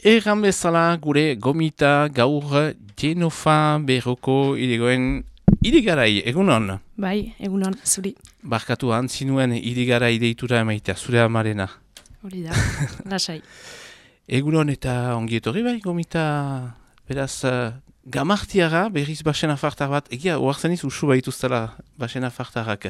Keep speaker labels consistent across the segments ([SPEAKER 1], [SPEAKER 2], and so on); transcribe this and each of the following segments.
[SPEAKER 1] Erran bezala gure gomita gaur Genofa berroko irigoen irigarai, egunon?
[SPEAKER 2] Bai, egunon, zuri.
[SPEAKER 1] Barkatu antzinuen irigarai deitura emaitea, zure amarena.
[SPEAKER 2] Hori da, lasai.
[SPEAKER 1] Egunon eta ongi etorri bai, gomita, beraz, gamartiara, berriz basen afartar bat, egia, oartzen iz usu baituztela basen afartarrak.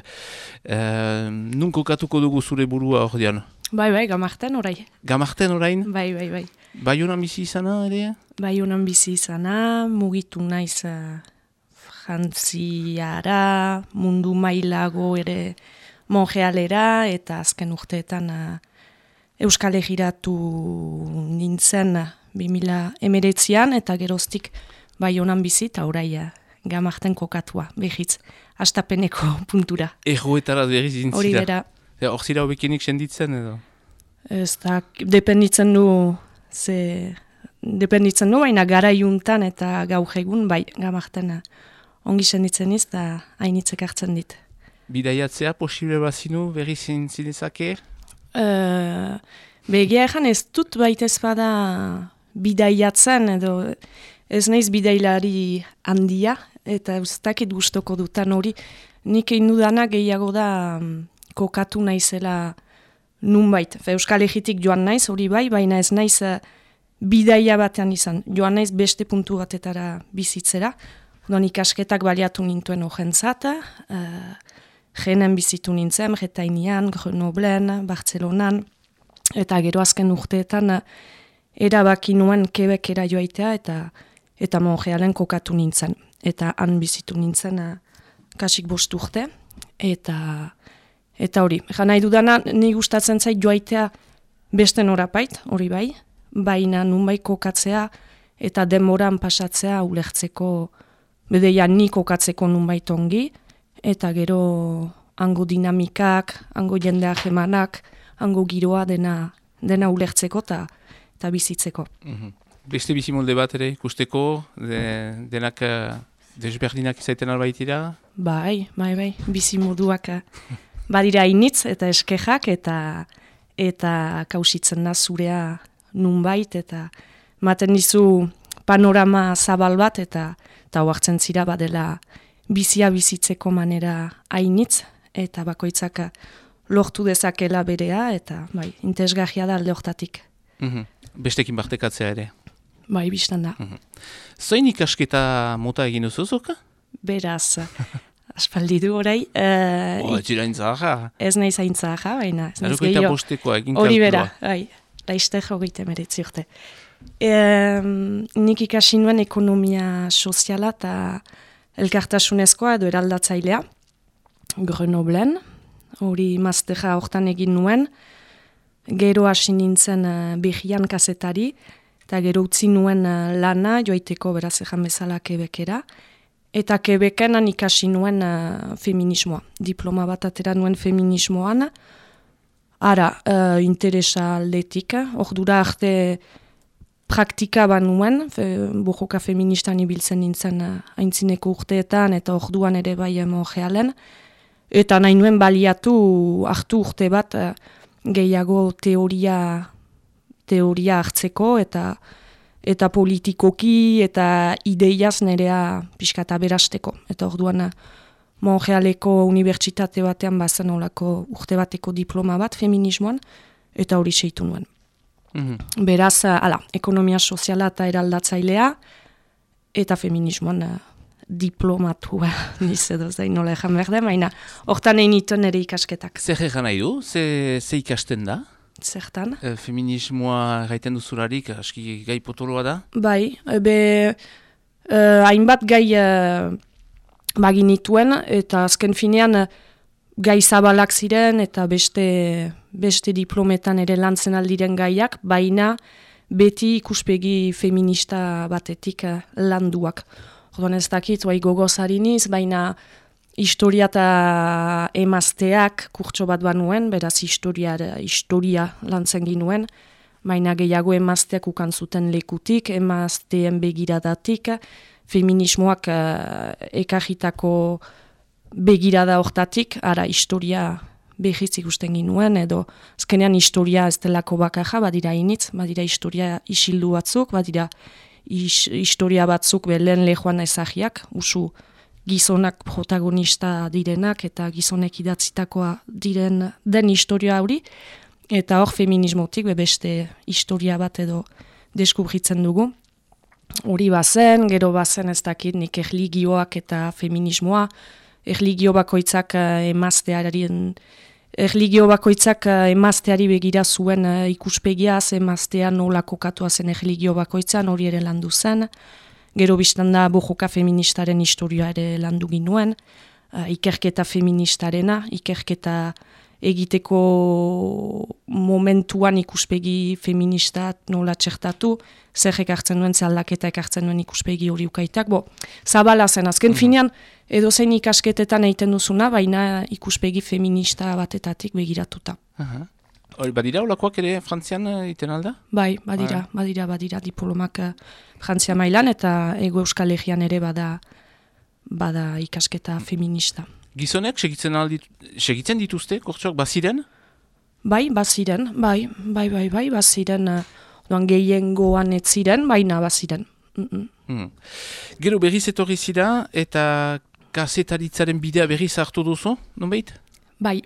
[SPEAKER 1] Nun kokatuko dugu zure burua hor dian?
[SPEAKER 2] Bai, gamarten orai.
[SPEAKER 1] Gamarten orain?
[SPEAKER 2] Bai.
[SPEAKER 1] Baionan bizi izana ere?
[SPEAKER 2] Baionan bizi izana, mugitu naiz jantziara, mundu mailago ere monjealera, eta azken urteetan Euskal Herriratu nintzen 2019an, eta geroztik Baionan bizi, eta orai gamarten kokatua, behitz, astapeneko puntura.
[SPEAKER 1] Erroetara berriz zintzira?
[SPEAKER 2] Hori dira.
[SPEAKER 1] Hor zira hobekenik senditzen edo?
[SPEAKER 2] Ez da, dependitzen du, baina gara juntan eta gaur egun, bai, gamarten ongi senditzen iz, eta hainitzek hartzen dit.
[SPEAKER 1] Bidaiatzea posible bazinu berriz zintzake?
[SPEAKER 2] Begia egan ez dut baitez bada bidaiatzen, edo ez naiz bidailari handia, eta ez dakit gustoko dutan hori, nik egin dudana gehiago da kokatu naizela nunbait. Euskal Herritik joan naiz, hori bai, baina ez naiz bidaia batean izan. Joan naiz beste puntu batetara bizitzera. Don ikasketak baliatu nintuen horrentzat, jenen bizitu nintzen, Bretainian, Grenoblen, Bartzelonan, eta gero azken urteetan erabaki nuen Quebecera joaitea eta Montrealen kokatu nintzen. Eta han bizitu nintzen kasik 5 urte, eta hori, nahi dudana, ni gustatzen zait joaitea beste norapait, hori bai, baina nunbai kokatzea eta denboran pasatzea ulertzeko, bedeia ni kokatzeko nunbait ongi, eta gero hango dinamikak, hango jendea jemanak, hango giroa dena ulertzeko eta bizitzeko.
[SPEAKER 1] Beste bizimolde bat ere ikusteko, denak desberdinak izaiten albaitira?
[SPEAKER 2] Bai, bizimoduak badira initz eta eskejak eta kausitzen da zurea nunbait eta maten dizu panorama zabal bat eta hoartzen zira badela bizia bizitzeko manera hainitz eta bakoitzak lortu dezakela berea eta bai, interesgarria da alde hortatik.
[SPEAKER 1] Bestekin partekatzea ere?
[SPEAKER 2] Bai, biztan da.
[SPEAKER 1] Zoin ikasketa mota egin duzuzuka?
[SPEAKER 2] Beraz, aspaldi du orai.
[SPEAKER 1] Ez zira intzaha?
[SPEAKER 2] Ez nahi zaintzaha, baina.
[SPEAKER 1] Erokoita bostekoa egin kalkulua.
[SPEAKER 2] Hori bera, bai. Laizte jogeite meretzi urte. Nik ikasi nuen ekonomia soziala eta elkartasunezkoa edo eraldatzailea. Grenoblen, hori masterra hortan egin nuen. Gero hasi nintzen behian kazetari, eta gero utzi nuen lana joaiteko beraz ejan bezala Quebecera. Eta Quebecen ikasi nuen feminismoa. Diploma bat atera nuen feminismoan. Ara, interesa aldetik. Ordura arte praktika banuen, bojoka feministan ibiltzen nintzen aintzineko urteetan, eta orduan ere bai Montrealen. Eta nahi nuen baliatu hartu urte bat gehiago teoria hartzeko, eta politikoki eta ideiaz nerea pixkata berasteko. Eta orduan Montrealeko unibertsitate batean bazen olako urte bateko diploma bat feminismoan, eta hori seitu nuen. Beraz, ekonomia soziala eta eraldatzailea, eta feminismoan diplomatua, niz edo zain nola ejan behar da, baina hortan egin ituen ere ikasketak.
[SPEAKER 1] Zer egan nahi du? Ze ikasten da?
[SPEAKER 2] Zertan?
[SPEAKER 1] Feminismoa gaiten duzularik, aski gai potoloa da? Bai,
[SPEAKER 2] hainbat gai baginituen, eta azken finean gai zabalak ziren, eta beste diplometan ere lantzen aldiren gaiak, baina beti ikuspegi feminista batetik landuak. Orduan ez dakit, gogoz hariniz, baina historia eta emazteak kurtso bat banuen, beraz historia lantzen ginuen, baina gehiago emazteak ukan zuten lekutik, emazteen begiradatik, feminismoak ekarritako begirada hortatik, ara historia behiz ikusten ginuen, edo azkenean historia ez delako bakarra, badira initz, badira historia isildu batzuk, badira historia batzuk lehen lehoan ezagiak, usu gizonak protagonista direnak eta gizonek idatzitakoa den historia hori, eta hor feminismotik beste historia bat edo deskubritzen dugu. Hori bazen, gero bazen ez dakit nik erligioak eta feminismoa, erligio bakoitzak emazteari begira zuen ikuspegiaz, emaztea nola kokatua zen erligio bakoitzan, hori ere landu zen. Gero biztan da bojoka feministaren historia ere landu ginuen, ikerketa feministarena, ikerketa egiteko momentuan ikuspegi feministat nola txertatu, zer ekartzen duen, zer aldaketa ekartzen duen ikuspegi hori ukaitak. Zabala zen, azken finean, edozein ikasketetan egiten duzuna, baina ikuspegi feminista batetatik begiratuta.
[SPEAKER 1] Hori, badira olakoak ere Frantzian egiten alda?
[SPEAKER 2] Bai, badira diplomak Frantzia mailan eta Ego Euskal Herrian ere bada ikasketa feminista.
[SPEAKER 1] Gizonek segitzen dituzte, kortxoak, baziren?
[SPEAKER 2] Bai, baziren, doan gehiengoan ez ziren, baina baziren.
[SPEAKER 1] Gero berriz etorri zira eta kazetaritzaren bidea berriz hartu duzu, nonbait?
[SPEAKER 2] Bai,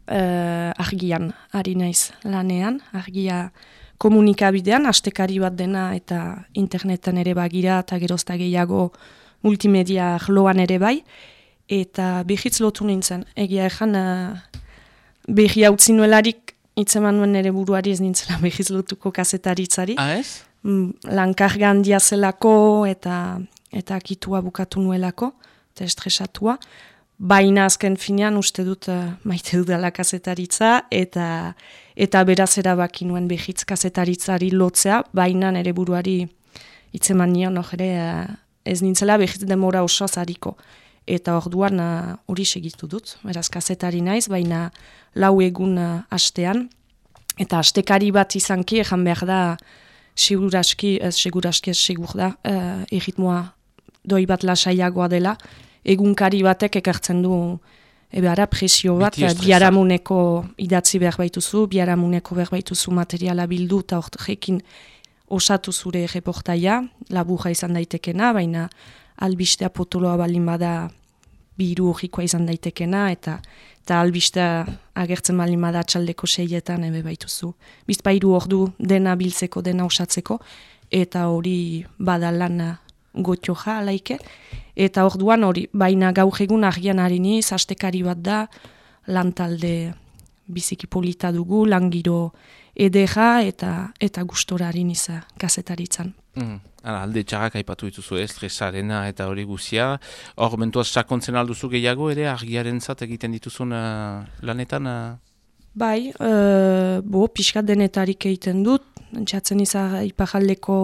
[SPEAKER 2] argian, ari naiz lanean, argia komunikabidean, astekari bat dena eta interneten ere bagira eta gerozta gehiago multimedia arloan ere bai, eta behitz lotu nintzen. Egia ezan, behi hau zinuelarik itzeman nuen ere buruari ez nintzela behitz lotuko kazetaritzari.
[SPEAKER 1] Ez?
[SPEAKER 2] Lankarga handia zelako eta akitua bukatu nuelako, eta estresatua. Baina azken finean uste dut maite dudala kazetaritza eta beraz erabaki nuen behitz kazetaritzari lotzea, baina nere buruari itzeman nion ez nintzela behitz demora oso zariko. Eta orduan hori segitu dut, beraz kazetari naiz, baina 4 egun astean, eta astekari bat izanki, ejan behar da, segur da, erritmoa doi bat lasaiagoa dela, egunkari batek ekartzen du presio bat, biharamuneko idatzi behar baituzu, biharamuneko behar baituzu materiala bildu, eta horrekin osatu zure reportaia, laburra izan daitekena, baina albistea potoloa balin bada biru horrikoa izan daitekena, eta albistea agertzen balin bada atxaldeko 6etan ebe baituzu. Bizpairu ordu dena biltzeko, dena osatzeko, eta hori badalan gotioja alaike, eta orduan hori, baina gaur egun argian hariniz, astekari bat da, lantalde biziki polita dugu, langiro edera eta gustora hariniz kazetaritzan.
[SPEAKER 1] Alde txarrak aipatu dituzu estresarena eta hori guzia. Hor, mentuaz sakontzen alduzu gehiago ere, argiaren zat egiten dituzun lanetan?
[SPEAKER 2] Bai, pixkat denetarik egiten dut, txatzen izan ipajaldeko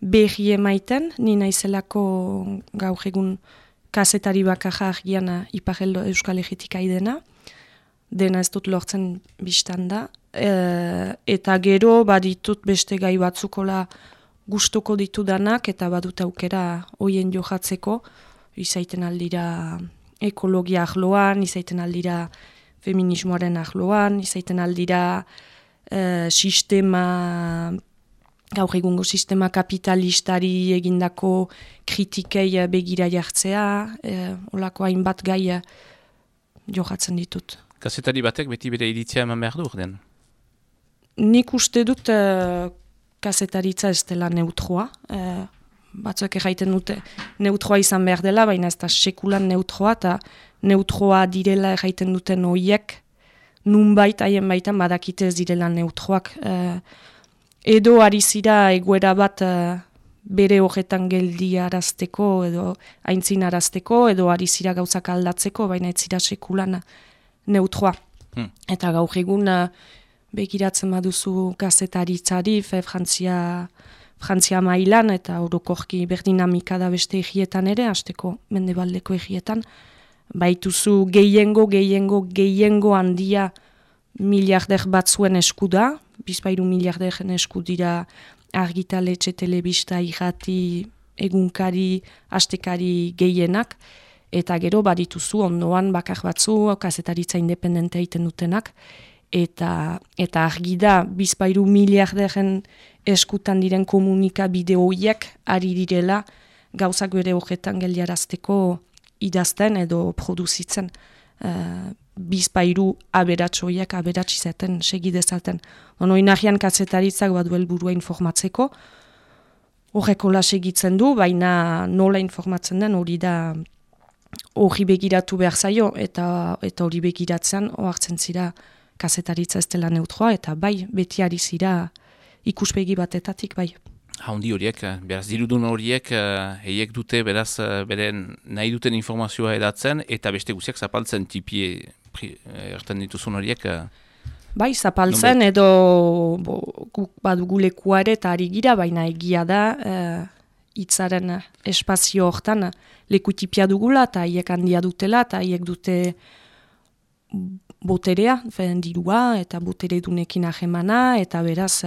[SPEAKER 2] behi emaiten, ni naizelako gaur egun kazetari bakarra argian ipajeldo Euskal Herritik aidena, dena ez dut lortzen biztan da, eta gero baditut beste gai batzukola gustuko ditudanak eta badut aukera hoien johatzeko, izaiten aldira ekologia ahloan, izaiten aldira feminismoaren ahloan, izaiten aldira gaur egungo sistema kapitalistari egindako kritikei begira jartzea, olako hainbat gai johatzen ditut.
[SPEAKER 1] Kazetari batek beti bere iritzia eman behar du ordean?
[SPEAKER 2] Nik uste dut kazetaritza ez dela neutroa. Batzuek erraiten dute neutroa izan behar dela, baina ez da sekulan neutroa, eta neutroa direla erraiten duten hoiek, nunbait haien baitan badakite ez direla neutroak. Edo ari zira egoera bat bere horretan geldi arazteko, edo aintzin arazteko, edo ari zira gauzak aldatzeko, baina ez zira sekulan neutroa. Eta gaur egun begiratzen baduzu gazetaritzari, Frantzia mailan, eta orokorki berdinamika da beste egietan ere, hasteko mendebaldeko egietan, baituzu gehiengo handia miliarder batzuen esku da, bizpairu miliarderen esku dira argitaletxe, telebista, irrati, egunkari, astekari gehienak, eta gero badituzu ondoan bakar batzu, kazetaritza independentea egiten dutenak, eta argi da, 2 miliarderen eskutan diren komunikabide horiek ari direla gauzak bere horretan geldiarazteko idazten edo produzitzen. 2 aberats horiek aberats izaten segidezaten. Inahian kazetaritzak badu helburua informatzeko, horrekola segitzen du, baina nola informatzen den hori da hori begiratu behar zaio, eta hori begiratzen ohartzen zira kazetaritza ez dela neutroa, eta bai, beti ari zira ikuspegi batetatik, bai.
[SPEAKER 1] Haundi horiek, beraz, dirudun horiek, heiek dute, beraz, beren nahi duten informazioa edatzen, eta beste guziak zapaltzen tipi erten dituzun horiek.
[SPEAKER 2] Bai, zapaltzen, edo guk badugu lekua ere eta ari gira, baina egia da, hitzaren espazio hortan leku tipia dugula, eta haiek handia dutela, eta haiek dute boterea, dirua, eta botere dunekin ahemana, eta beraz,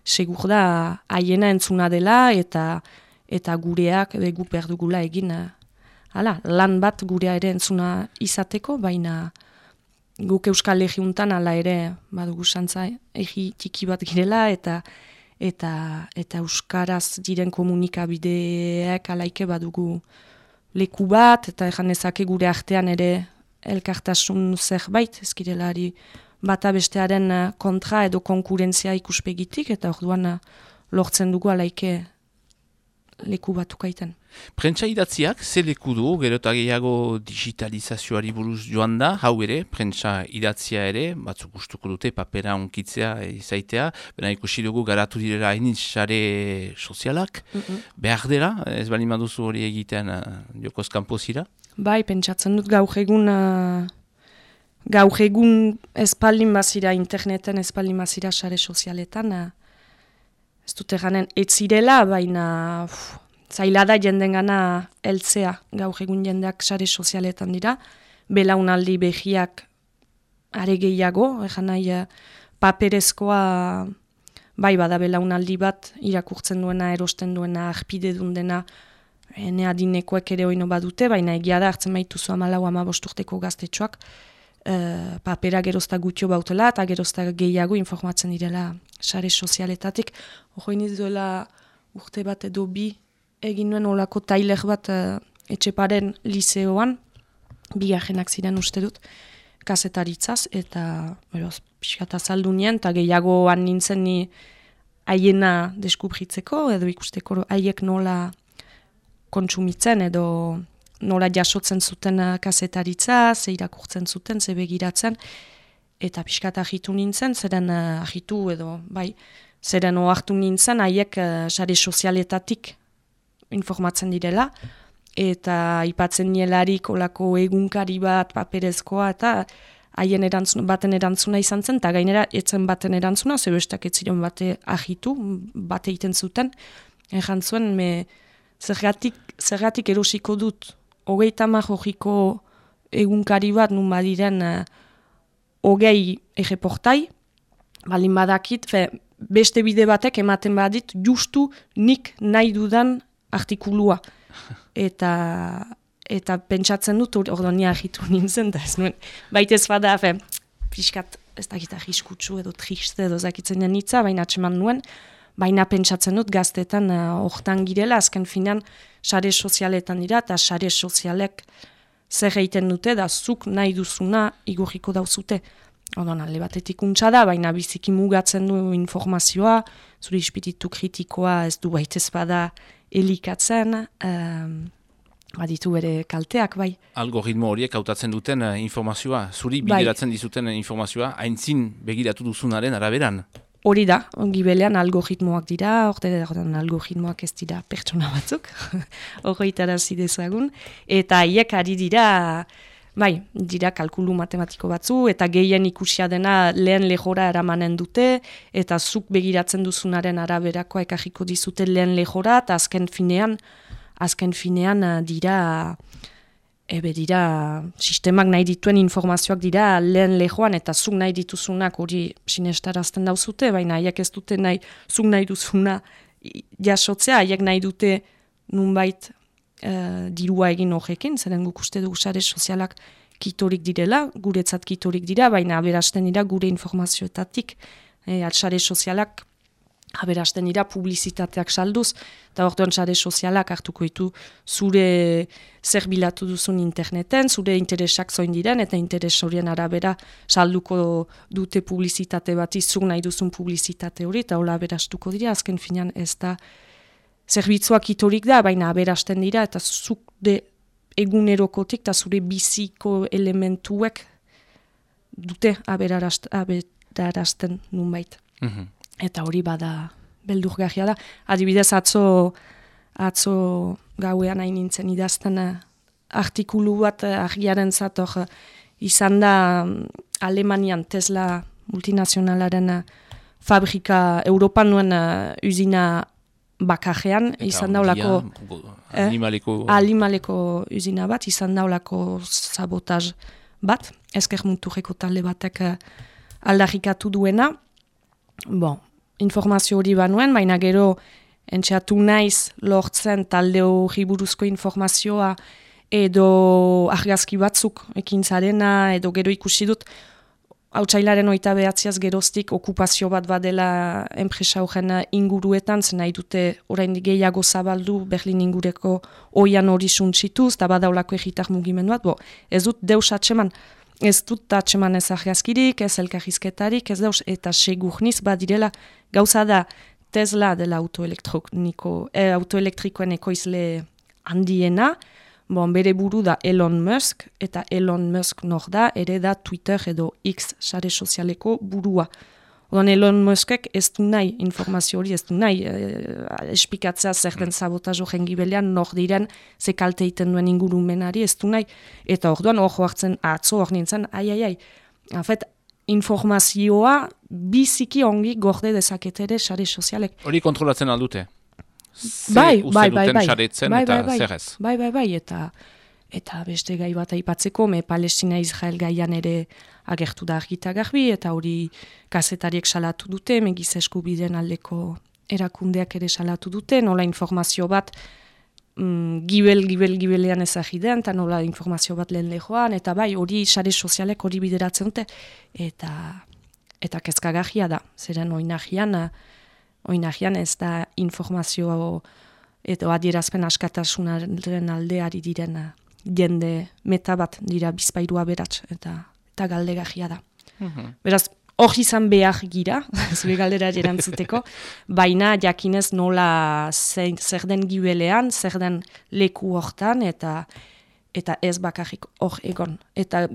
[SPEAKER 2] segur da haiena entzuna dela, eta gureak, guk behar dugula egin, lan bat gurea ere entzuna izateko, baina guk Euskal Legiuntan ala ere badugu santza egi txiki bat girela, eta Euskaraz diren komunikabideak alaike badugu leku bat, eta ezake gure artean ere elkartasun zerbait, ezkirelari bata bestearen kontra edo konkurentzia ikuspegitik, eta orduan lortzen dugu alaike leku batukaiten.
[SPEAKER 1] Prentsa idatziak, ze leku du, gero eta gehiago digitalizazioari buruz joan da, hau ere, prentsa idatzia ere, batzuk gustuko dute papera onkitzea izaitea, bena ikusi dugu garatu direla hainitz sare sozialak, behar dela, ez bali maduzu hori egiten jokoz kanpozira?
[SPEAKER 2] Bai, pentsatzen dut gaur egun espaldin bazira interneten, espaldin bazira sare sozialetan, ez dute ganen etzirela, baina zaila da jendengana heltzea, gaur egun jendeak sare sozialetan dira, belaunaldi behiak are gehiago, nahi paperezkoa bai bada belaunaldi bat irakurtzen duena, erosten duena, arpide dundena, ene adinekoek ere oino badute, baina egia da hartzen baituzu 14-15 urteko gaztetxoak, papera gerozta gutio bautela eta gerozta gehiago informatzen direla sare sozialetatik. Horoiniz duela urte bat edo bi egin nuen olako tailer bat Etxeparen liseoan, bigarrenak ziren uste dut, kazetaritzaz, eta pixkat azaldu nien, eta gehiagoan nintzen ni haiena deskubritzeko, edo ikusteko haiek nola kontsumitzen, edo nola jasotzen zuten kazetaritza, ze irakurtzen zuten, ze begiratzen, eta pixkat ahitu nintzen, zeren ahitu edo, bai, zeren ohartu nintzen, haiek sare sozialetatik informatzen direla, eta ipatzen nielarik olako egunkari bat, paperezkoa, eta haien baten erantzuna izan zen, eta gainera etzen baten erantzuna, zebestak ez ziren bate ahitu, bate egiten zuten, egan zuen, zergatik erosiko dut, 30 hogiko egunkari bat nun badiren 20 erreportai, balin badakit, beste bide batek ematen badit, justu nik nahi dudan artikulua. Eta pentsatzen dut, ordo ni ahitu nintzen, da ez nuen, baitez bada, pixkat, ez dakit ahiskutsu edo triste edo zakitzen denitza, baina atseman nuen, baina pentsatzen dut gaztetan hortan girela, azken finan sare sozialetan dira, eta sare sozialek zer egiten dute, da zuk nahi duzuna igorriko dauzute. Odon, alde batetik untsa da, baina biziki mugatzen du informazioa, zure ispiritu kritikoa ez du baitez bada elikatzen, baditu bere kalteak, bai.
[SPEAKER 1] Algoritmo horiek hautatzen duten informazioa, zuri bideratzen dizuten informazioa, haintzin begiratu duzunaren araberan.
[SPEAKER 2] Hori da, gibelean algoritmoak dira, ordean algoritmoak ez dira pertsona batzuk, horretara zidezagun, eta haiek ari dira, bai, dira kalkulu matematiko batzu, eta gehien ikusia dena lehen lehora eramanen dute, eta zuk begiratzen duzunaren araberakoa ekarriko dizute lehen lehora, eta azken finean dira sistemak nahi dituen informazioak dira lehen lehoan, eta zuk nahi dituzunak hori sinestarazten dauzute, baina haiek ez dute nahi, zuk nahi duzuna jasotzea, haiek nahi dute nunbait dirua egin horrekin, zeren guk uste dugu sare sozialak kitorik direla, guretzat kitorik dira, baina aberasten dira gure informazioetatik. Sare sozialak aberasten dira publizitateak salduz, eta orduan sare sozialak hartuko ditu zure zer bilatu duzun interneten, zure interesak zoin diren, eta interes horien arabera salduko dute publizitate bat, izuk nahi duzun publizitate hori, eta hola aberastuko dira, azken finean ez da zerbitzuak itorik da, baina aberasten dira, eta zuk de egunerokotik, eta zure biziko elementuek dute aberarazten nunbait. Eta hori bada beldurgarria da. Adibidez, atzo gauean hain nintzen idazten artikulu bat argiaren zator izan da Alemanian Tesla multinazionalaren fabrika Europan nuen uzina bakarrean, izan daulako animaleko uzina bat, izan daulako sabotaz bat, ezker muturreko talde batek aldarrikatu duena. Informazio hori banuen, baina gero entxeatu naiz lortzen talde hori buruzko informazioa edo argazki batzuk ekintzarena, edo gero ikusi dut Hautsailaren 29 geroztik okupazio bat badela enpresa horren inguruetan, zen nahi dute oraindik gehiago zabaldu Berlin ingureko oian hori suntsituz, eta badaulako egitar mugimendu bat, ez dut deus atseman. Ez dut atseman ez argazkirik, ez elkarrizketarik, ez dauz, eta segurniz badirela gauza da Tesla dela autoelektrikoen ekoizle handiena, bere buru da Elon Musk, eta Elon Musk nor da, ere da Twitter edo X sare sozialeko burua. Odan Elon Muskek ez du nahi informazio hori, ez du nahi espikatzea zer den sabotajo jengibelean, nor diren ze kalte egiten duen ingurumenari, ez du nahi. Eta orduan hor hartzen atzo hor nintzen, Afet, informazioa biziki ongi gorde dezaketere sare sozialek.
[SPEAKER 1] Hori kontrolatzen aldute?
[SPEAKER 2] Bai, eta beste gai bat aipatzeko, Palestina Israel gaian ere agertu da argita garbi, eta hori kazetariek salatu dute, giza eskubideen aldeko erakundeak ere salatu dute, nola informazio bat gibelean ezagiden, eta nola informazio bat lehen lehoan, eta bai, hori sare sozialek hori bideratzen dute, eta kezkagarria da, zeren oinagian ez da informazio edo adierazpen askatasunaren aldeari diren jende meta bat dira bizpairua beratz, eta galdegarria da. Beraz, hor izan behar gira, zure galdera erantzuteko, baina jakinez nola zer den gibelean, zer den leku hortan, eta ez bakarrik hor egon. Eta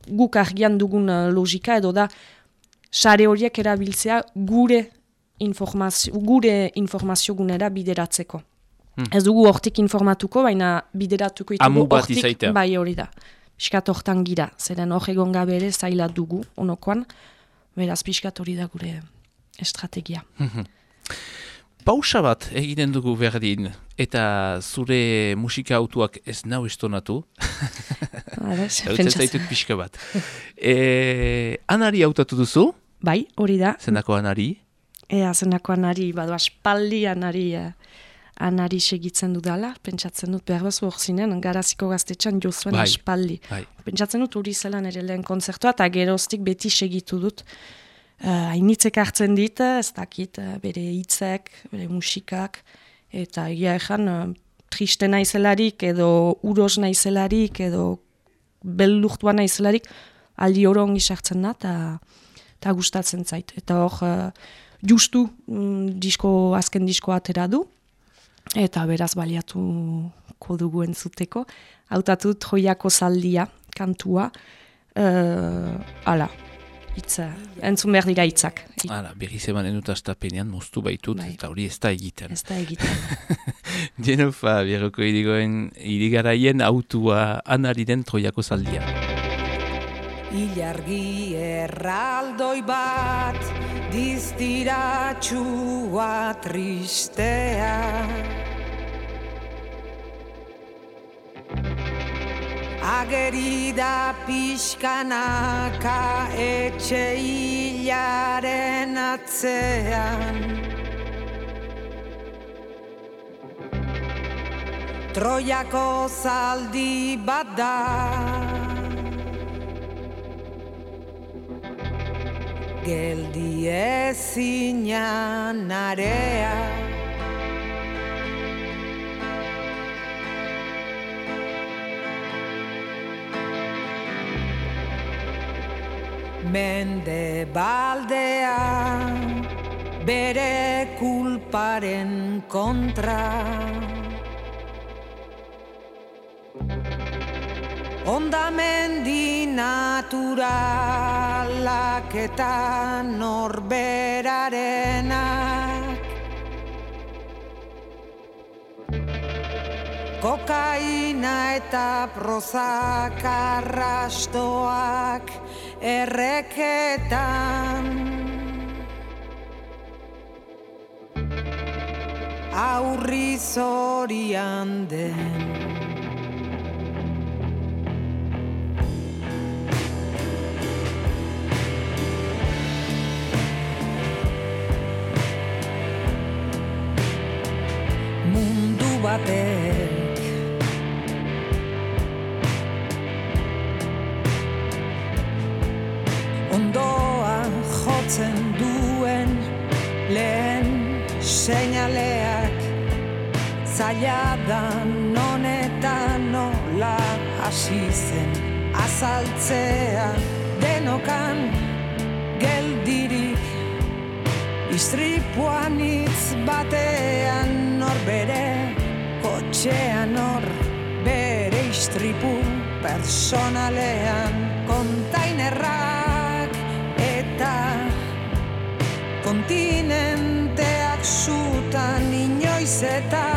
[SPEAKER 2] guk argian dugun logika edo da, sare horiek erabiltzea gure informazio gunera bideratzeko. Ez dugu hortik informatuko, baina bideratuko itugu hortik, bai hori da. Piskat hortan gira, zeren hor egon gabe ere zaila dugu, onokoan, beraz piskat hori da gure estrategia.
[SPEAKER 1] Pausa bat egiten dugu berdin, eta zure musika autuak ez nau estonatu. Hautzen zaitut pixka bat. Anari hautatu duzu?
[SPEAKER 2] Bai, hori da.
[SPEAKER 1] Zenako Anari?
[SPEAKER 2] Zenako Anari, badu aspaldi Anari segitzen dudala, pentsatzen dut behar bazu hor zinen, Garaziko Gaztetxean jozuen aspaldi. Pentsatzen dut hori zelan ere lehen konzertua, eta geroztik beti segitu dut. Hainitzek hartzen dit, ez dakit, bere hitzek, bere musikak, eta egia ezan triste naizelarik, edo uros naizelarik, edo beldurtua naizelarik, aldi oro ongi sartzen da, eta gustatzen zait. Eta hor, justu azken disko atera du, eta beraz baliatuko dugu entzuteko. Hautatu Troiako zaldia, kantua, entzun behar dira hitzak.
[SPEAKER 1] Berriz emanen dut astapenean, moztu baitut, eta hori ez da egiten.
[SPEAKER 2] Ez da egiten.
[SPEAKER 1] Genofa, Bierroko irigaraien autua Anari den Troiako zaldia.
[SPEAKER 3] Ilargi erraldoi bat, diztiratxua tristea. Ageri da pixkanaka etxe hilaren atzean. Troiako zaldi bat da. Geldi ezina narea. Mende baldea bere kulparen kontra. Ondamendi naturalak eta norberarenak. Kokaina eta prozak arrastoak erreketan. Aurri zorian den. Mundu batek ondoa jotzen duen lehen seinaleak zaila da non eta nola hasi zen azaltzea denokan geldirik istripuan hitz batean nor bere kotxean nor bere istripu personalean kontainerrak eta kontinenteak zutan inoiz eta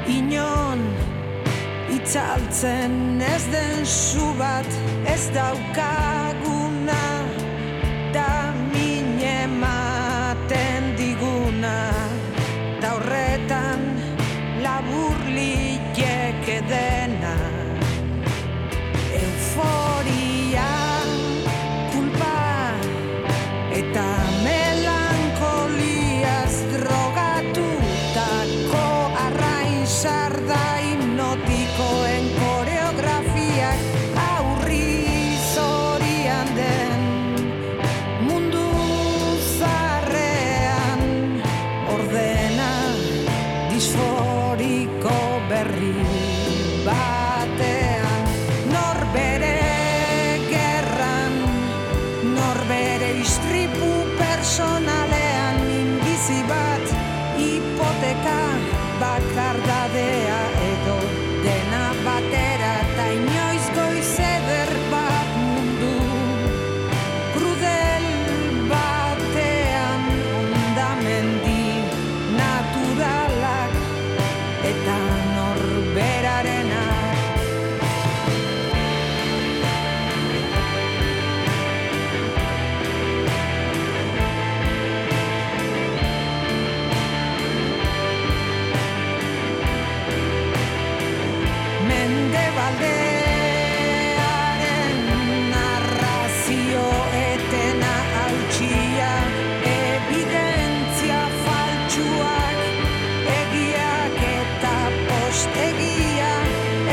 [SPEAKER 3] inon itzaltzen ez den zu bat ez daukaguna da min ematen diguna da horretan labur liteke dena euforia kulpa eta melankoliaz drogatutako arrain sarda hipnotikoen koreografiak aurri zorian den mundu zaharrean ordena disforiko berri batean norbere gerran norbere istripu personalean minbizi bat hipoteka bakardadea edo dena batera eta inoiz goiz eder bat mundu krudel batean ondamendi naturalak eta norberarenak. Mendebaldearen narrazio etena hautsia evidentzia faltsuak egiak eta postegia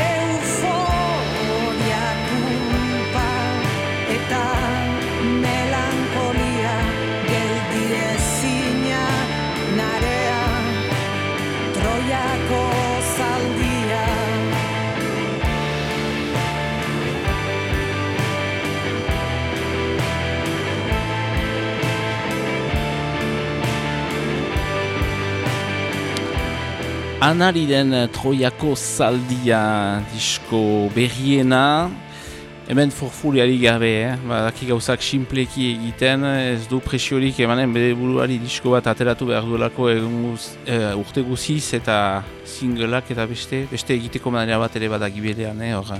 [SPEAKER 3] euforia kulpa eta melankolia geldi ezina narea Troiako zaldia.
[SPEAKER 1] Anariren Troiako zaldia disko berriena, hemen forfuriari gabe, badaki gauzak simpleki egiten, ez du presiorik emanen bere buruari disko bat ateratu behar duelako urte guziz eta singleak eta beste egiteko manera bat ere badaki berean, hor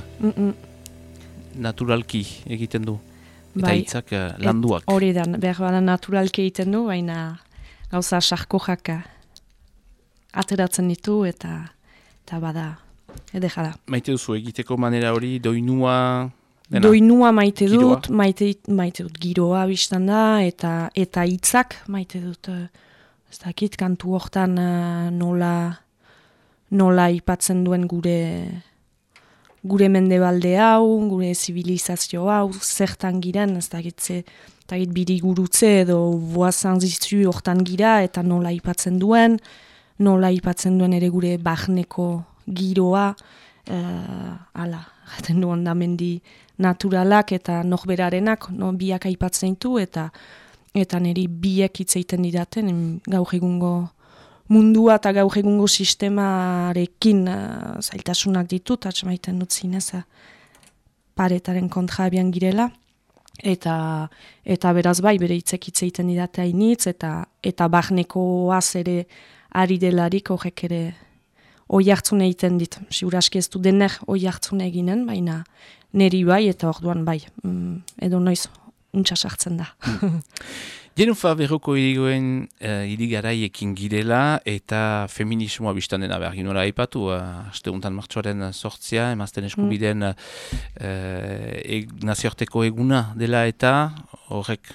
[SPEAKER 1] naturalki egiten du, eta hitzak landuak.
[SPEAKER 2] Hori da, behar bada naturalki egiten du, baina gauza sarkojak ateratzen ditu eta bada, edera da.
[SPEAKER 1] Maite duzu egiteko manera hori, doinua... Dena.
[SPEAKER 2] Doinua maite dut, maite dut giroa biztan da, eta hitzak maite dut, ez dakit, kantu hortan nola aipatzen duen gure mendebalde hau, gure zibilizazio hau, zertan giren, ez dakit birigurutze edo boazan zizu hortan gira, eta nola aipatzen duen ere gure barneko giroa, ala, jaten du ondamendi naturalak eta norberarenak, biak aipatzen ditu, eta niri biek hitzeiten didaten, gaur egungo mundua eta gaur egungo sistemarekin zailtasunak ditut, atxamaiten dut zinez, paretaren kontra abian girela, eta beraz bai, bere hitzeiten didate hainitz, eta barnekoaz ere ari delarik horrek ere oi hartzun egiten dit. Ziuraski ez du dener oi hartzun eginen, baina neri bai, eta orduan bai, edo noiz untsa sartzen da.
[SPEAKER 1] Jenufa berroko irigoen irigaraiekin girela eta feminismoa biztan dena behar ginola aipatu, asteuntan martxoaren 8, emazten eskubideen nazioarteko eguna dela eta horrek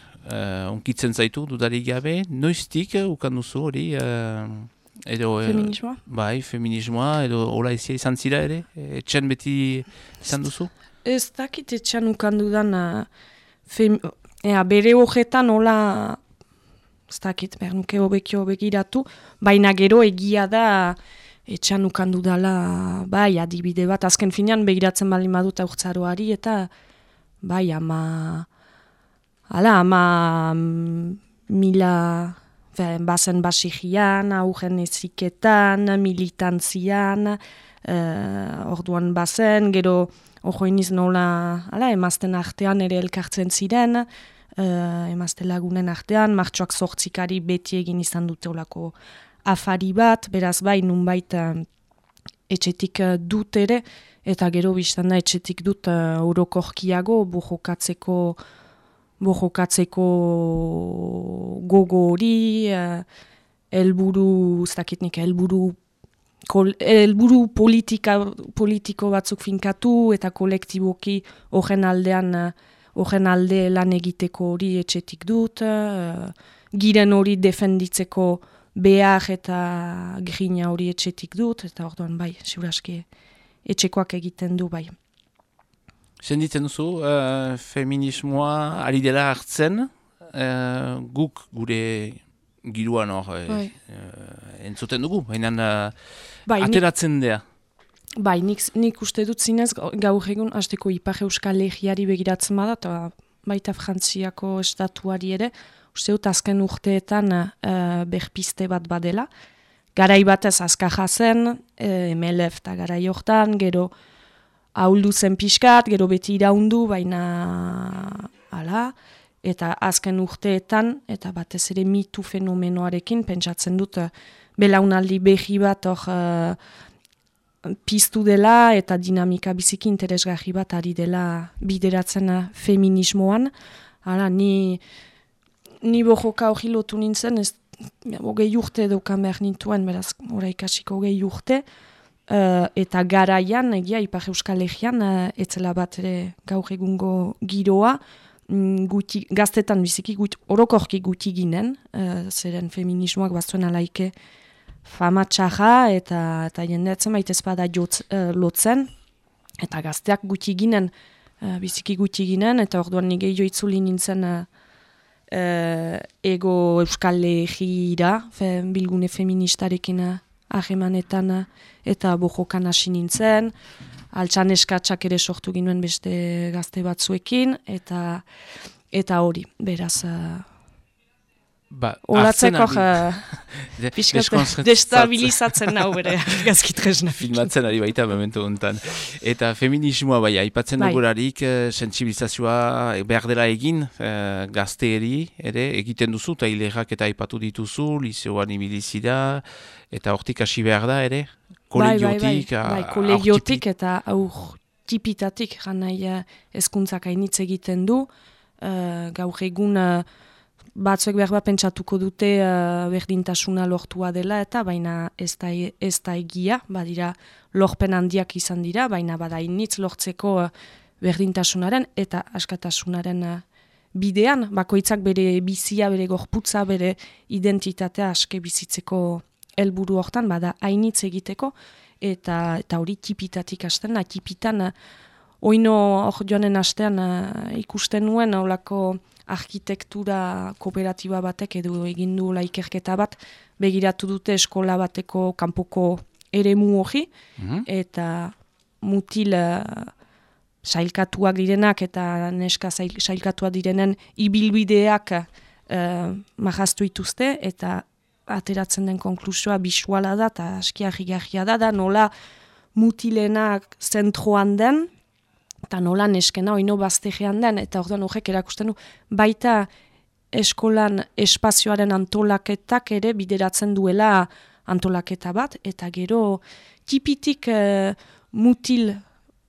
[SPEAKER 1] onkitzen zaitu dudarik gabe, noiztik ukanduzu hori
[SPEAKER 2] feminismoa?
[SPEAKER 1] Bai, feminismoa, edo hola izan zira ere? Etxen beti izan duzu?
[SPEAKER 2] Ez dakit etxan ukandudan bere horretan hola, ez dakit, bernuke hobekio begiratu, baina gero egia da etxan ukandudala, bai, adibide bat, azken finean begiratzen baldin badut aurtzaroari, eta bai, ama mila bazen basigian, augen eziketan, militantzian, orduan bazen, gero ojoiniz nola, emazten artean ere elkartzen ziren, emazte lagunen artean, martxoak 8 beti egin izan dute olako afari bat, beraz bai, nunbait etxetik dut ere, eta gero biztan da etxetik dut orokorkiago, bojokatzeko gogo hori, helburu politiko batzuk finkatu eta kolektiboki horren alde lan egiteko hori etxetik dut, giren hori defenditzeko behar eta grina hori etxetik dut, eta orduan bai, ziuraski etxekoak egiten du bai.
[SPEAKER 1] Senditzen duzu, feminismoa ari dela hartzen, guk gure giruan hor entzuten dugu, baina ateratzen dea.
[SPEAKER 2] Bai, nik uste dut zinez, gaur egun hasteko Ipar Euskal Herriari begiratzen bada, eta baita Frantziako estatuari ere, uste dut azken urteetan berpiste bat badela. Garai batez azkaja zen, MLF eta garai hortan, gero ahuldu zen pixkat, gero beti iraundu, baina ala, eta azken urteetan, eta batez ere mitu fenomenoarekin, pentsatzen dut, belaunaldi behi bat hor piztu dela, eta dinamika biziki interesgarri bat ari dela bideratzen feminismoan. Hala, ni bojoka hori lotu nintzen, ez 20 urte daukan behar nintuen, beraz, ora ikasiko 20 urte, eta garaian, egia, Ipar Euskal Herrian, etzela bat ere gaur egungo giroa, gaztetan biziki orokorki guti ginen, zeren feminismoak bazuen alaike fama txarra, eta jendeatzen baitez bada lotzen, eta gazteak guti ginen, biziki guti ginen, eta orduan nige joitzuli nintzen ego Euskal Herriira, bilgune feministarekin ahemanetan eta bojokan hasi nintzen, altxan eskatsak ere sortu ginuen beste gazte batzuekin, eta hori, beraz, olatzeko destabilizatzen nau bere gazkitresna.
[SPEAKER 1] Filmatzen ari baita momentu honetan. Eta feminismoa bai, aipatzen dugularik, sentsibilizazioa behar dela egin, gazteeri ere egiten duzu, eta hilerak eta aipatu dituzu, liseoan ibilizira, eta hortik hasi behar da ere, kolegiotik.
[SPEAKER 2] Bai, kolegiotik eta aurtipitatik, janai hezkuntzak hainitz egiten du, gaur egun batzuek behar bat pentsatuko dute berdintasuna lortua dela, eta baina ez da egia, badira lorpen handiak izan dira, baina badainitz lortzeko berdintasunaren eta askatasunaren bidean, bakoitzak bere bizia, bere gorputza, bere identitatea aske bizitzeko helburu hortan, bada hainitz egiteko, eta hori tipitatik hasten da, tipitan oino hor joanen astean ikusten nuen holako arkitektura kooperatiba batek edo egin du ikerketa bat, begiratu dute eskola bateko kanpoko eremu hori, eta mutil sailkatuak direnak eta neska sailkatuak direnen ibilbideak marraztu dituzte, eta ateratzen den konklusioa bisuala da, eta askiarrigarria da nola mutilenak zentroan den, eta nola neskena oino baztegean den, eta orduan horrek erakusten du, baita eskolan espazioaren antolaketak ere bideratzen duela antolaketa bat, eta gero tipitik mutil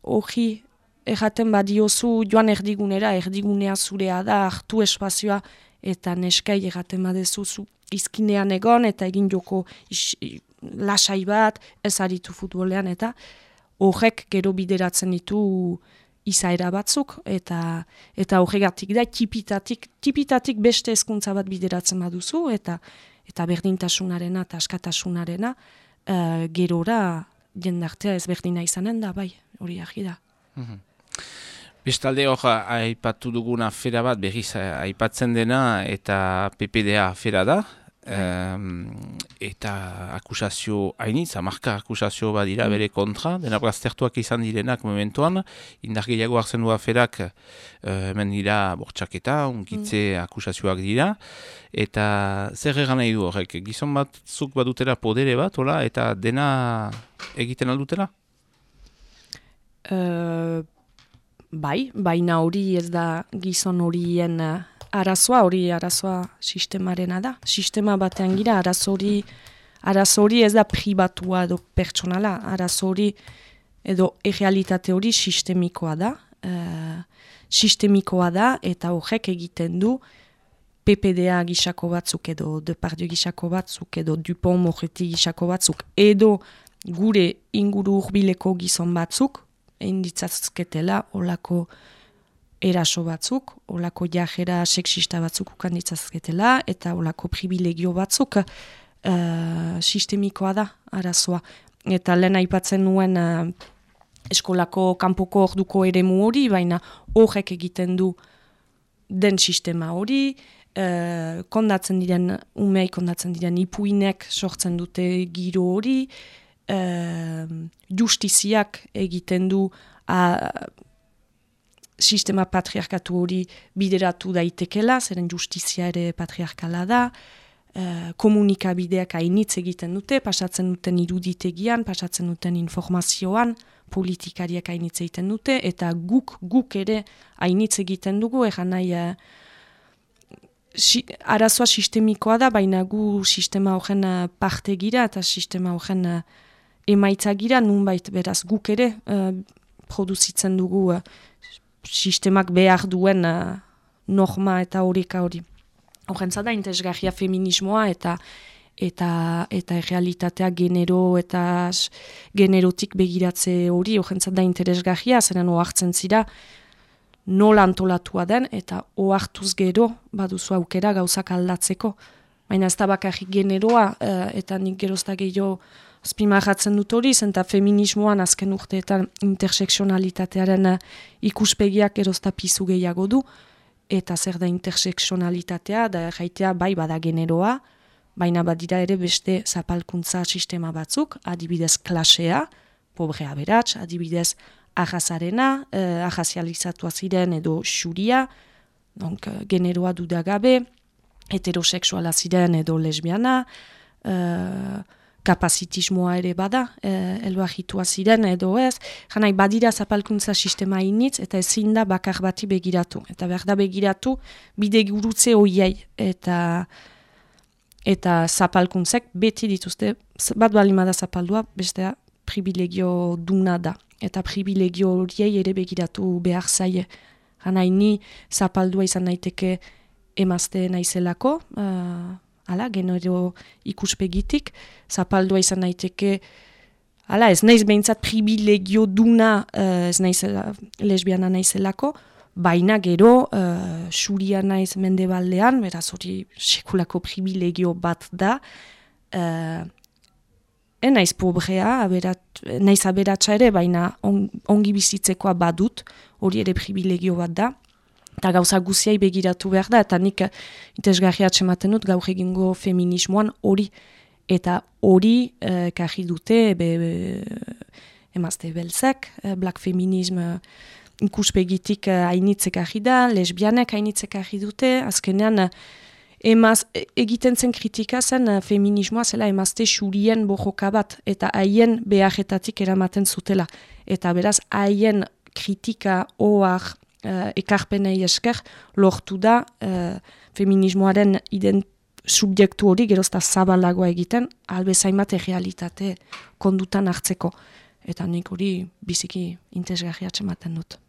[SPEAKER 2] hori erraten badiozu joan erdigunea zurea da, hartu espazioa, eta neskai erraten badezu izkinean egon, eta egin joko lasai bat, ez aritu futbolean, eta horrek gero bideratzen ditu izaera batzuk, eta horregatik da, tipitatik beste hezkuntza bat bideratzen baduzu, eta berdintasunarena eta askatasunarena gerora jendartea ezberdina izanen da, bai, hori argi da.
[SPEAKER 1] Bestalde hor, aipatu dugun afera bat, berriz aipatzen dena, eta PPDA afera da, eta akusazio hainitz, hamarka akusazio badira bere kontra, dena baztertuak izan direnak momentuan, indar gehiago hartzen du aferak, hemen dira bortxaketa, unkitze akusazioak dira, eta zer egan nahi du horrek, gizon batzuk badutela podere bat, hola, eta dena egiten aldutela?
[SPEAKER 2] Bai, baina hori ez da gizon horien arazoa sistemarena da. Sistema batean gira, arazo hori ez da pribatua edo pertsonala, arazo hori edo errealitate hori sistemikoa da, eta horrek egiten du PPDA gisako batzuk edo Depardieu gisako batzuk edo Dupont Moretti gisako batzuk edo gure inguru hurbileko gizon batzuk, inditzazketela olako eraso batzuk, olako jajera sexista batzuk ukan ditzazketela, eta olako privilegio batzuk sistemikoa da arazoa. Eta lehen aipatzen nuen eskolako kanpoko orduko eremu hori, baina horrek egiten du den sistema hori, kondatzen diren ipuinek sortzen dute giro hori, justiziak egiten du sistema patriarkatu hori bideratu daitekela, zeren justizia ere patriarkala da, komunikabideak hainitz egiten dute, pasatzen duten iruditegian, pasatzen duten informazioan, politikariak hainitz egiten dute, eta guk ere hainitz egiten dugu, egan nahi arazoa sistemikoa da, baina gu sistema horren parte gira, eta sistema horren emaitza gira, nunbait beraz guk ere produzitzen dugu sistemak behar duen norma eta horika hori. Horrentza da, interesgarria feminismoa eta realitatea genero eta generotik begiratze hori, horrentza da interesgarria, zeren ohartzen zira nola antolatua den, eta ohartuz gero baduzu aukera gauzak aldatzeko. Baina ez da bakarrik generoa, eta nik gerozta gehiago azpimarratzen dut hori, zenta feminismoan azken urteetan interseksionalitatearen ikuspegiak gerozta pizu gehiago du, eta zer da interseksionalitatea, da jaitea bai bada generoa, baina badira ere beste zapalkuntza sistema batzuk, adibidez klasea, pobrea beratz, adibidez ahazarena, ahazializatua ziren edo xuria, generoa dudagabe, heterosexuala ziren edo lesbiana, kapazitismoa ere bada, elbahitua ziren edo ez, janai badira zapalkuntza sistema initz, eta ezin da bakar bati begiratu. Eta behar da begiratu bide gurutze hoiei, eta zapalkuntzek beti dituzte, bat balimada zapaldua, bestea privilegio duna da. Eta privilegio horiei ere begiratu behar zaie. Janai ni zapaldua izan naiteke emazte naizelako, genero ikuspegitik, zapaldua izan naiteke, ez naiz behintzat privilegio duna, ez naiz lesbiana naizelako, baina gero xuria naiz mendebaldean, beraz hori sekulako privilegio bat da, naiz pobrea, naiz aberatsa ere, baina ongi bizitzekoa badut, hori ere privilegio bat da, eta gauza guziai begiratu behar da, eta nik interesgarria atsematen dut gaur egingo feminismoan hori, eta hori karri dute emazte belzek, black feminism ikuspegitik hainitzek argi da, lesbianek hainitzek argi dute, azkenean egiten zen kritika zen feminismoa zela emazte xurien bojoka bat, eta haien beharretatik eramaten zutela. Eta beraz, haien kritika ohar ekarpenei esker lortu da feminismoaren subjektu hori gerozta zabalagoa egiten, albezain bat errealitate kondutan hartzeko. Eta nik hori biziki interesgarria atsematen dut.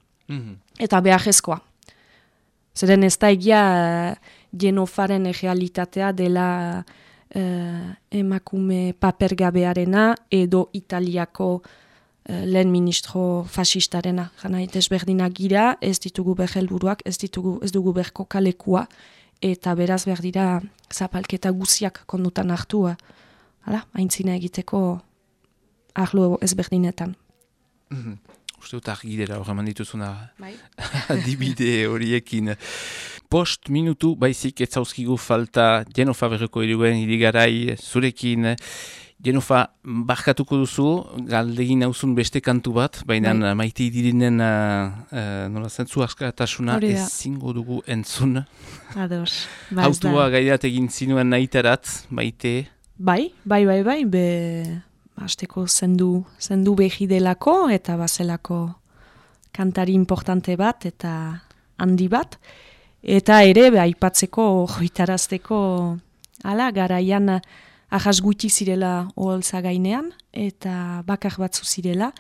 [SPEAKER 2] Eta beharrezkoa. Zeren ez da egia Jenofaren errealitatea dela emakume papergabearena edo Italiako lehen ministro fascistarena. Jana, desberdinak gira, ez ditugu helburuak, ez dugu berko kalekua, eta beraz behar dira zapalketa guziak kondutan hartu, aintzina egiteko arlo ezberdinetan.
[SPEAKER 1] Uste dut argidera hor eman dituzuna adibide horiekin. Post minutu baizik ez zauzkigu falta Jenofa berreko iruguen irigarai zurekin. Jenofa, barkatuko duzu, galdegin nauzun beste kantu bat, baina maite dirinen nola zentzu askatasuna ezingo dugu entzun.
[SPEAKER 2] Ados.
[SPEAKER 1] Hautua gairat egin zinuen nahitarat, maite?
[SPEAKER 2] Bai, hasteko zendu behi delako eta bazelako kantari importante bat eta handi bat. Eta ere, aipatzeko, joitarazteko, garaian ahas gutxi zirela oholtza gainean, eta bakar batzu zirela,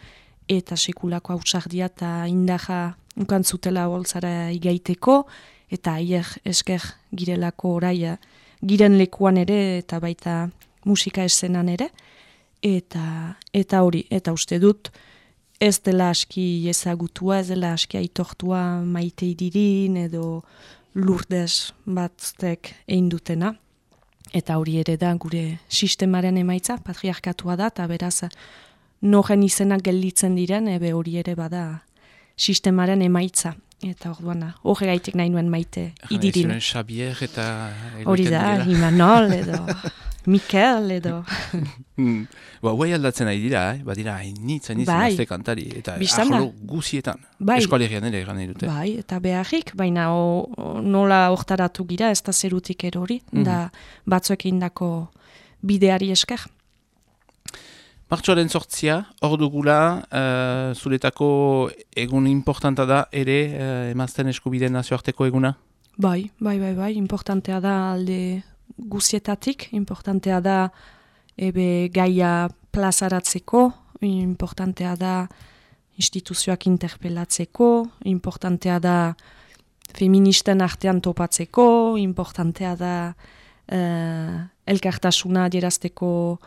[SPEAKER 2] eta sekulako hausardia eta indaja ukantzutela oholtzara igaiteko, eta aier esker girelako orai giren lekuan ere, eta baita musika eszenan ere, eta hori, eta uste dut, ez dela aski ezagutua, ez dela aski aitortua maite idirin, edo Lourdes batztek egin dutena. Eta hori ere da gure sistemaren emaitza, patriarkatua da, eta beraz noren izenak gelditzen diren, hori ere bada sistemaren emaitza. Eta orduan, horregaitik nahi nuen maite idirin.
[SPEAKER 1] Xabier eta...
[SPEAKER 2] Hori da, Imanol edo Mikel edo...
[SPEAKER 1] Guai aldatzen nahi dira, badira hainitzen azte kantari, eta ahlo guzietan. Eskualerian ere egan nahi dute.
[SPEAKER 2] Bai, eta beharrik, baina nola hortaratu gira, ez da zerutik erori, da batzuek indako bideari esker.
[SPEAKER 1] Martxoaren 8, hor dugula, zuretako egun importanta da ere emazten eskubideen nazioarteko eguna?
[SPEAKER 2] Bai, importantea da alde guzietatik, importantea da gaia plazaratzeko, importantea da instituzioak interpelatzeko, importantea da feministen artean topatzeko, importantea da elkartasuna adierazteko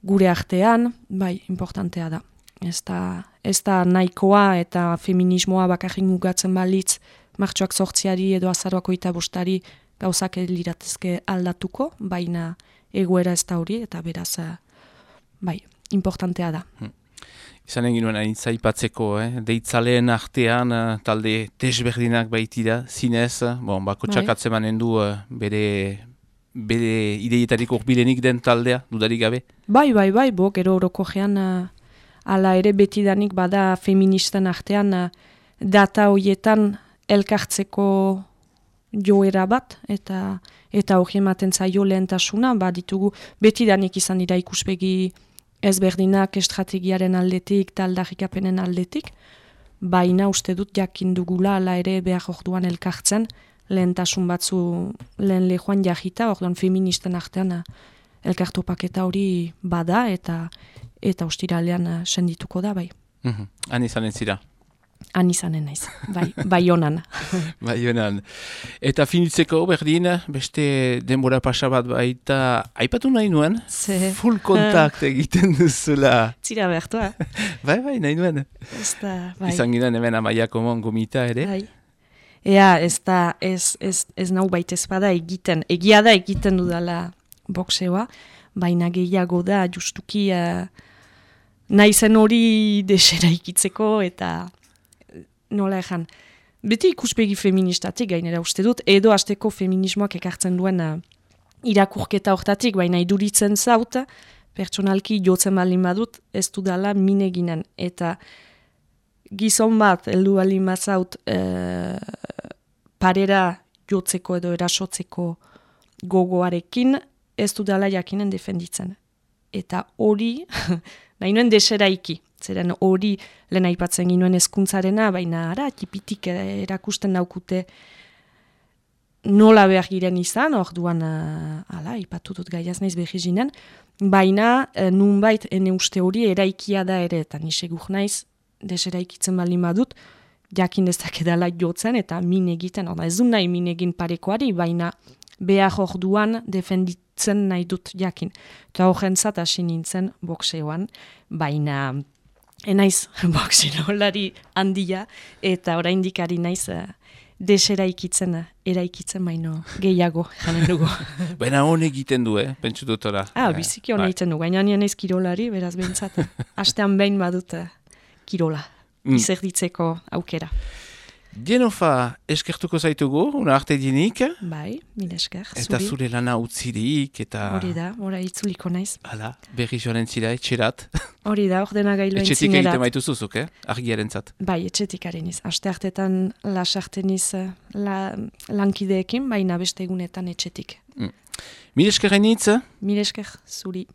[SPEAKER 2] gure artean, importantea da. Ez da nahikoa eta feminismoa bakarrik mugatzen balitz martxoak 8 edo azaroak 25 gauzak liratezke aldatuko, baina egoera ez da hori, eta beraz, importantea da.
[SPEAKER 1] Izan egin nuen aintzaipatzeko, deitzaleen artean talde desberdinak baitira, zinez, bakotxak atzemanen du bere ideietarik urbilenik den taldea, dudarik gabe?
[SPEAKER 2] Bai, gero orokojean ala ere betidanik bada feministen artean data horietan elkartzeko joera bat, eta hori ematen zaio lehentasuna, ditugu betidanik izan dira ikuspegi ezberdinak estrategiaren aldetik, taldarrikapenen aldetik, baina uste dut jakin dugula ala ere behar orduan elkartzen, lehentasun batzu lehen lehoan jahita, orduan feministen artean elkartopaketa hori bada, eta ostiralean sendituko da, bai.
[SPEAKER 1] Han izanen zira?
[SPEAKER 2] Han izanen naiz, bai honan.
[SPEAKER 1] Bai honan. Eta finitzeko berdin, beste denbora pasa bat baita, aipatu nahi nuen, full kontakt egiten duzula.
[SPEAKER 2] Zira bertua.
[SPEAKER 1] Bai, nahi nuen. Izan ginen hemen Amaiako gomita ere.
[SPEAKER 2] Bai. Ea, ez nau baitez bada egiten, egia da egiten dudala boxeoa, baina gehiago da justuki naizen hori desera ikitzeko eta nola ejan. Beti ikuspegi feministatik gainera uste dut, edo hasteko feminismoak ekartzen duen irakurketa hortatik, baina iduritzen zaut, pertsonalki jotzen baldin badut, ez dudala mineginen. Eta gizon bat, heldu baldin bazaut, parera jotzeko edo erasotzeko gogoarekin, ez dudala jakinen defenditzen. Eta hori, nahi nuen deseraiki. Zeren hori lehen aipatzen ginuen hezkuntzarena, baina ara, tipitik erakusten daukute nola behar giren izan, orduan, ipatu dut gaiaz naiz behizinen, baina nunbait ene uste hori eraikia da ere, eta nisegur naiz, deseraikitzen baldin badut, jakin dezakedala jotzen eta min egiten, ez du nahi min egin parekoari, baina behar orduan defenditzen nahi dut jakin. Eta horrentzat hasi nintzen bokseoan, baina enaiz boksilolari handia, eta oraindik ari naiz deseraikitzen, eraikitzen baino gehiago, janen dugu.
[SPEAKER 1] Baina hon egiten du, pentsu dutora.
[SPEAKER 2] Biziki hon egiten du, baina nien ez kirolari, beraz behintzat, hastean behin badut kirola, izerditzeko aukera.
[SPEAKER 1] Genofa, eskertuko zaitugu, una arte dinik.
[SPEAKER 2] Bai, mil esker, zuri.
[SPEAKER 1] Eta zure lana utzirik, eta...
[SPEAKER 2] Hori da, itzuliko naiz.
[SPEAKER 1] Hala, berri joaren zira, etxerat.
[SPEAKER 2] Hori da, ordena gailuen zinerat.
[SPEAKER 1] Etxetik egiten baitu zuzuk, argiaren zat.
[SPEAKER 2] Bai, etxetik areniz. Aste hartetan lasarteniz lankideekin, baina beste egunetan etxetik.
[SPEAKER 1] Mil eskerren hitz?
[SPEAKER 2] Mil esker, zuri.